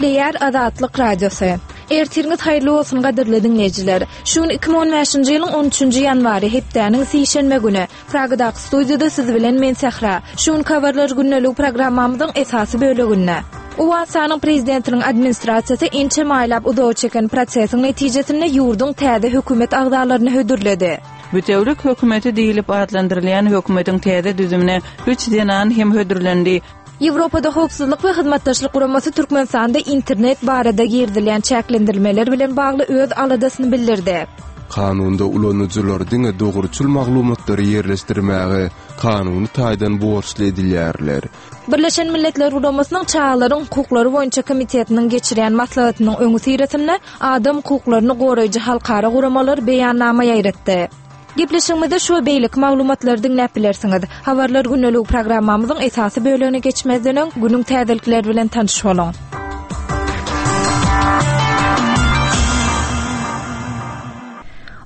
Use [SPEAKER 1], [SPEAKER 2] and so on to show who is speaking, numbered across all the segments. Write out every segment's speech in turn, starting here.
[SPEAKER 1] Gepleýär Azatlyk Radiosy. Ertiriňiz haýyrly bolsun gadyrly diňleýjiler. Şu gün 2015-nji ýylyň 13-nji ýanwary, hepdäniň sişenbe güni. Pragadaky studiýada siz bilen men Sähra. Şu günki habarlar gündeligi programmamyzyň esasy böleginde. Owganystanyň prezidentiniň administrasiýasy ençeme aýlap uzaga çeken prosesiň netijesinde ýurduň täze hökümet agzalaryny hödürledi.
[SPEAKER 2] Bütewlik hökümeti diýlip atlandyrylýan hökümetiň täze düzümine üç zenan hem hödürlendi.
[SPEAKER 1] Ýewropada Howpsuzlyk we Hyzmatdaşlyk Guramasy Türkmenistanda internet barada girizilýän çäklendirmeler bilen bagly öz aladasyny bildirdi.
[SPEAKER 3] Kanunda ulanyjylar diňe dogruçyl maglumatlary ýerleşdirmäge kanuny taýdan borçly edilýärler.
[SPEAKER 1] Birleşen Milletler Guramasynyň Çagalaryň hukuklary boýunça komitetiniň geçirýän maslahatynyň öňüsyrasynda adam hukuklaryny goraýjy halkara guramalar beýannama ýaýratdy. Gepleşigimizde şu we beýleki maglumatlary diňläp bilersiňiz. Habarlar gündeligi programmamyzyň esasy bölegine geçmezden öň, günüň täzelikleri bilen tanyş boluň.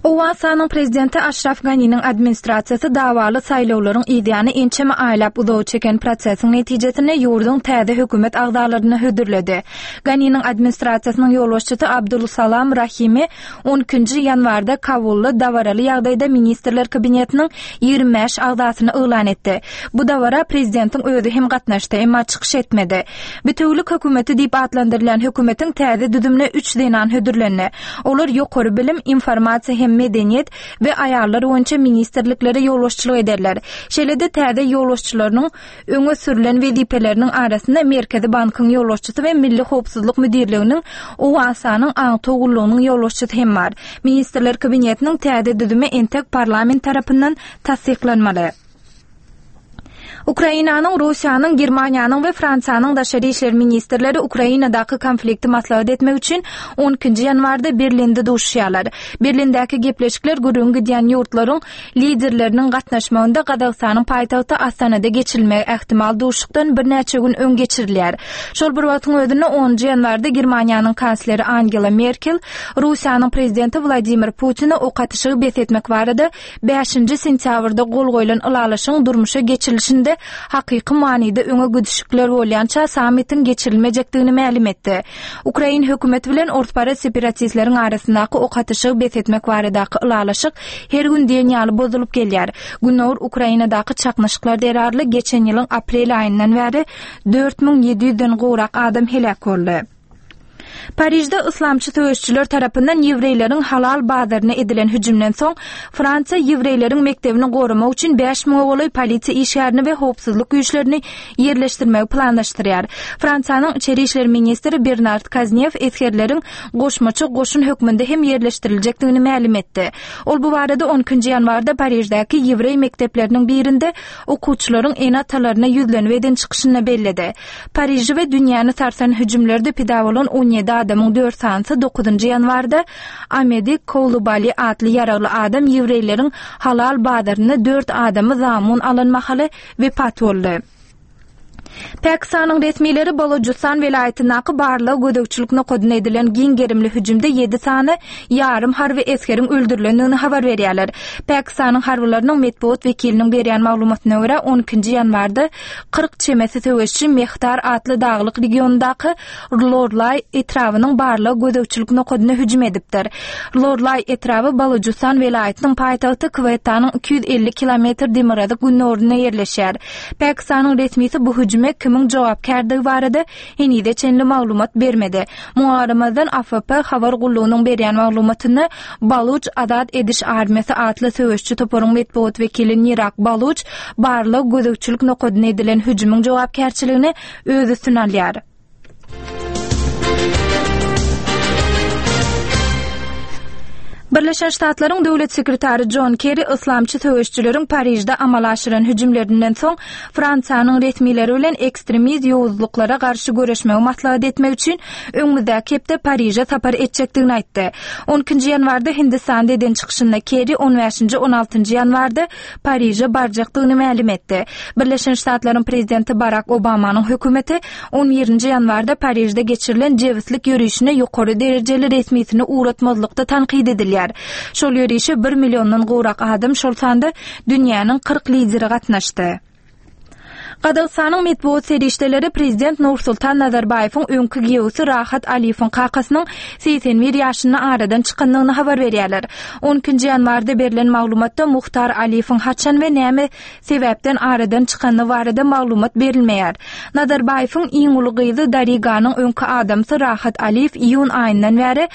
[SPEAKER 1] Owganystanyň prezidenti Aşraf Ganiniň administrasiýasy dawaly saýlawlaryň yzýany ençeme aýlap uzaga çeken prosesiň netijesinde ýurduň täze hökümet agzalaryny hödürledi. Ganiniň administrasiýasynyň ýolbaşçysy Abdul Salam Rahimi On ikinji ýanwarda Kabulda dabaraly ýagdaýda Ministrler Kabinetiniň 25 agzasyny yglan etdi. Bu dabara prezidentiň özi hem gatnaşdy, emma çykyş etmedi. Bitewülik hökümeti diýip atlandyrylýan hökümetiň täze düzümine üç zenan hödürlendi. Olar ýokary bilim, informasiýa hem medeniýet we aýallar boýunça ministrliklere ýolbaşçylyk ederler. Şeýle-de täze ýolbaşçylarynyň Öňe sürlen wezipeleriniň arasynda Merkezi bankyň ýolbaşçysy we Milli howpsuzlyk müdirliginiň Owganystanyň aňtaw gullugynyň ýolbaşçysy hem bar. Ministrler Kabinetiniň täze düzümi entek parlament tarapyndan tassyklanmaly. Ukrainanyň, Russiýanyň, Germaniýanyň we Fransiýanyň daşary işler ministrleri Ukrainadaky konflikti maslahat etmek üçin on ikinji ýanwarda Berlinde duşuşýarlar. Berlindäki gepleşikler gürrüňi gidýän ýurtlaryň Liderleriniň gatnaşmagynda Gazagystanyň paýtagty Astanada geçirilmegi ähtimal duşuşykdan birnäçe gün öň geçirilýär. Şol bir wagtyň özünde onunjy ýanwarda Germaniýanyň kansleri Angela Merkel Russiýanyň prezidenti Wladimir Putine ok atyşygy bes etmek barada bäşinji sentýabrda gol goýlan ylalaşygyň durmuşa geçirilişinde hakyky manyda öňe gidişikler bolýança sammitiň geçirilmejekdigini mälim etdi. Ukrain hökümeti bilen orsparaz separatistleriň arasyndaky ok atyşygy bes etmek baradaky ylalaşyk her gün diýen ýaly bozulyp gelýär. Gündogar Ukrainadaky çaknyşyklar zerarly geçen ýylyň aprel aýyndan bäri 4700 den gowrak adam heläk boldy. Parižde yslamçy söweşijiler tarapyndan ýewreýleriň halal bazaryna edilen hüjümden soň, Fransiýa ýewreýleriň mekdebini goramak üçin bäş müňe golaý polisiýa işgärini we howpsuzlyk güýçlerini ýerleşdirmegi planlaşdyrýar. Fransiýanyň içeri işler ministri Bernard Kaznew esgerleriň goşmaça goşun hökmünde hem ýerleşdiriljekdigini mälim etdi. Ol bu barada on ikinji ýanwarda Pariždäki ýewreý mekdepleriniň birinde okuwçylaryň ene-atalaryna ýüzlenip eden çykyşynda belledi. Pariži we dünýäni sarsan hüjümlerde pida bolan on ýedi adamyň dört sanysy dokuzynjy ýanwarda Amedi Koulubali atly ýaragly adam ýewreýleriň halal bazarynda dört adamy zamun alan mahaly wepat boldy. Pakistanyň resmileri Balojistan welaýatyndaky barlag-gözegçilik nokadyna edilen giň gerimli hüjümde ýedi sany ýarym harby esgeriň öldürilendigini habar berýärler. Pakistanyň harbylarynyň metbugat wekiliniň berýän maglumatyna görä, on ikinji ýanwarda 40 çemesi söweşçi Mehtar atly daglyk regionyndaky Lorlaý etrabynyň barlag-gözegçilik nokadyna hüjüm edipdir. Lorlaý etraby Balujystan welaýatynyň paýtagty Kwettanyň 250 kilometr demirgazyk-gündogarynda ýerleşýär. Pakistanyň resmisi bu hüjüme kimiň jogapkärdigi barada henize çenli maglumat bermedi. Muňa garamazdan, AFP habar gullugynyň berýän maglumatynda Baluj azat ediş armiýasy atly söweşçi toparyň metbugat wekili Nirak Baluj barlag-gözegçilik nokadyna edilen hüjümiň jogapkärçiligini öz üstüne alýar. Birleşen Ştatlaryň döwlet sekretary Jon Kerri yslamçy söweşijileriň Parižde amala aşyran hüjümlerinden soň Fransiýanyň resmileri bilen ekstremist ýowuzlyklara garşy göreşmegi maslahat etmek üçin öňümizdäki hepde Pariže sapar etjekdigini aýtdy. On ikinji ýanwarda Hindistanda eden çykyşynda Kerri on bäşinji, on altynjy ýanwarda Pariže barjakdygyny mälim etdi. Birleşen Ştatlaryň prezidenti Barak Obamanyň hökümeti on birinji ýanwarda Parižde geçirilen jebislik ýörişine ýokary derejeli resmisini ugratmazlykda tankyt edilýär. Şol ýörişe bir milliondan gowrak adam, şol sanda dünýäniň 40 lideri gatnaşdy. Gazagystanyň metbugat serişdeleri prezident Nursultan Nazarbaýewiň öňki giýewsi Rahat Aliýewiň kakasynyň 81 ýaşynda aradan çykandygyny habar berýärler. On ikinji ýanwarda berlen maglumatda Muhtar Aliýewiň haçan we näme sebäpden aradan çykandygy barada maglumat berilmeýär. Nazarbaýewiň iň uly gyzy Dariganyň öňki adamsy Rahat Aliýew iýun aýyndan bäri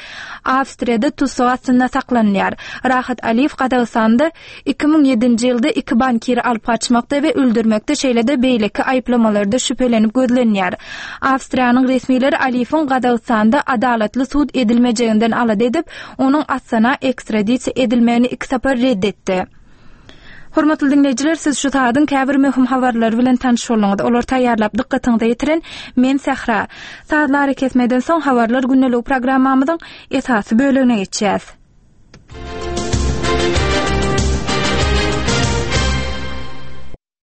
[SPEAKER 1] Awstriýada tussag astynda saklanylýar. Rahat Aliýew Gazagystanda 2007-nji ýylda iki bankiri alyp gaçmakda we öldürmekde şeýle-de beýleki aýyplamalarda şübhelenip gözlenýär. Awstriýanyň resmileri Aliýewiň Gazagystanda adalatly sud edilmejeginden alada edip, onuň Astana ekstradisiýa edilmegini iki sapar ret etdi. Hormatly diňleýjiler, siz şu sagadyň käbir möhüm habarlary bilen tanyş bolduňyz. Olary taýýarlap dykgatyňyza ýetiren men Sähra. Sazly arakesmeden soň Habarlar gündeligi programmamyzyň esasy bölegine geçýäs.